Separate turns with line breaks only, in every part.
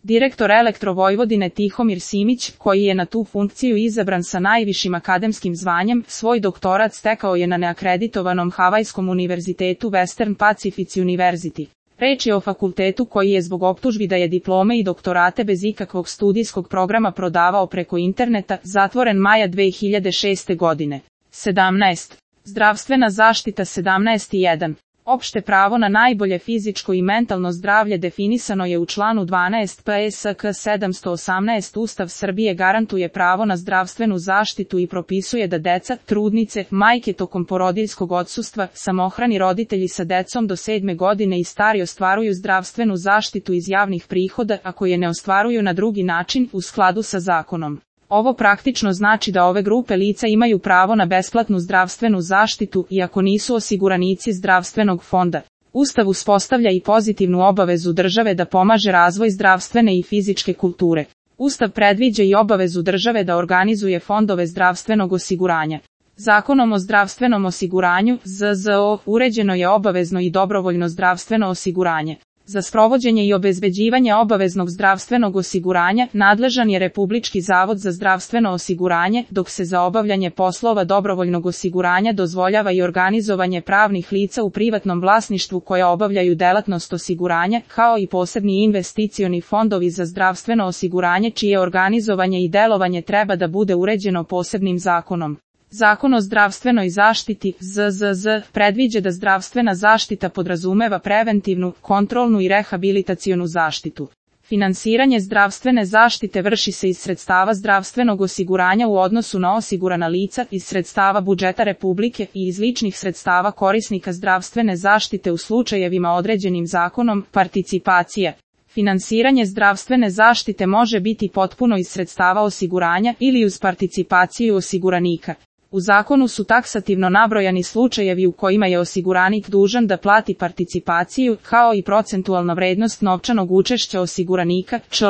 Direktor Elektrovojvodine Tihomir Simić, koji je na tu funkciju izabran sa najvišim akademskim zvanjem, svoj doktorat stekao je na neakreditovanom Havajskom univerzitetu Western Pacific University. Reč je o fakultetu koji je zbog optužbi da je diplome i doktorate bez ikakvog studijskog programa prodavao preko interneta zatvoren maja 2006. godine. 17. Zdravstvena zaštita 17.1. Opšte pravo na najbolje fizičko i mentalno zdravlje definisano je u članu 12 PSK 718. Ustav Srbije garantuje pravo na zdravstvenu zaštitu i propisuje da deca, trudnice, majke tokom porodiljskog odsustva, samohrani roditelji sa decom do 7. godine i stari ostvaruju zdravstvenu zaštitu iz javnih prihoda ako je ne ostvaruju na drugi način u skladu sa zakonom. Ovo praktično znači da ove grupe lica imaju pravo na besplatnu zdravstvenu zaštitu iako nisu osiguranici zdravstvenog fonda. Ustav uspostavlja i pozitivnu obavezu države da pomaže razvoj zdravstvene i fizičke kulture. Ustav predviđa i obavezu države da organizuje fondove zdravstvenog osiguranja. Zakonom o zdravstvenom osiguranju, ZZO, uređeno je obavezno i dobrovoljno zdravstveno osiguranje. Za sprovođenje i obezbeđivanje obaveznog zdravstvenog osiguranja nadležan je Republički zavod za zdravstveno osiguranje, dok se za obavljanje poslova dobrovoljnog osiguranja dozvoljava i organizovanje pravnih lica u privatnom vlasništvu koja obavljaju delatnost osiguranja, kao i posebni investicioni fondovi za zdravstveno osiguranje čije organizovanje i delovanje treba da bude uređeno posebnim zakonom. Zakon o zdravstvenoj zaštiti, ZZZ, predviđa da zdravstvena zaštita podrazumeva preventivnu, kontrolnu i rehabilitacionu zaštitu. Finansiranje zdravstvene zaštite vrši se iz sredstava zdravstvenog osiguranja u odnosu na osigurana lica, iz sredstava budžeta Republike i iz ličnih sredstava korisnika zdravstvene zaštite u slučajevima određenim zakonom, participacija. Finansiranje zdravstvene zaštite može biti potpuno iz sredstava osiguranja ili uz participaciju osiguranika. U zakonu su taksativno nabrojani slučajevi u kojima je osiguranik dužan da plati participaciju, kao i procentualna vrednost novčanog učešća osiguranika, čl.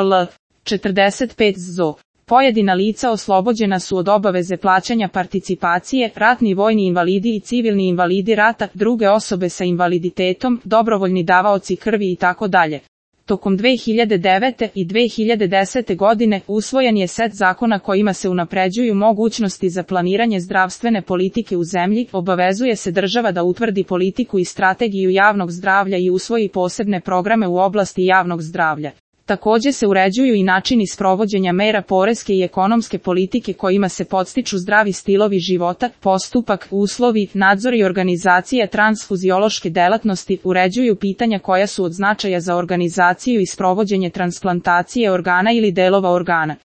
45 ZO. Pojedina lica oslobođena su od obaveze plaćanja participacije, ratni vojni invalidi i civilni invalidi rata, druge osobe sa invaliditetom, dobrovoljni davaoci krvi itd. Tokom 2009. i 2010. godine usvojen je set zakona kojima se unapređuju mogućnosti za planiranje zdravstvene politike u zemlji, obavezuje se država da utvrdi politiku i strategiju javnog zdravlja i usvoji posebne programe u oblasti javnog zdravlja. Takođe se uređuju i načini sprovođenja mera poreske i ekonomske politike kojima se podstiču zdravi stilovi života, postupak, uslovi, nadzor i organizacija transfuziološke delatnosti, uređuju pitanja koja su od značaja za organizaciju i sprovođenje transplantacije organa ili delova organa.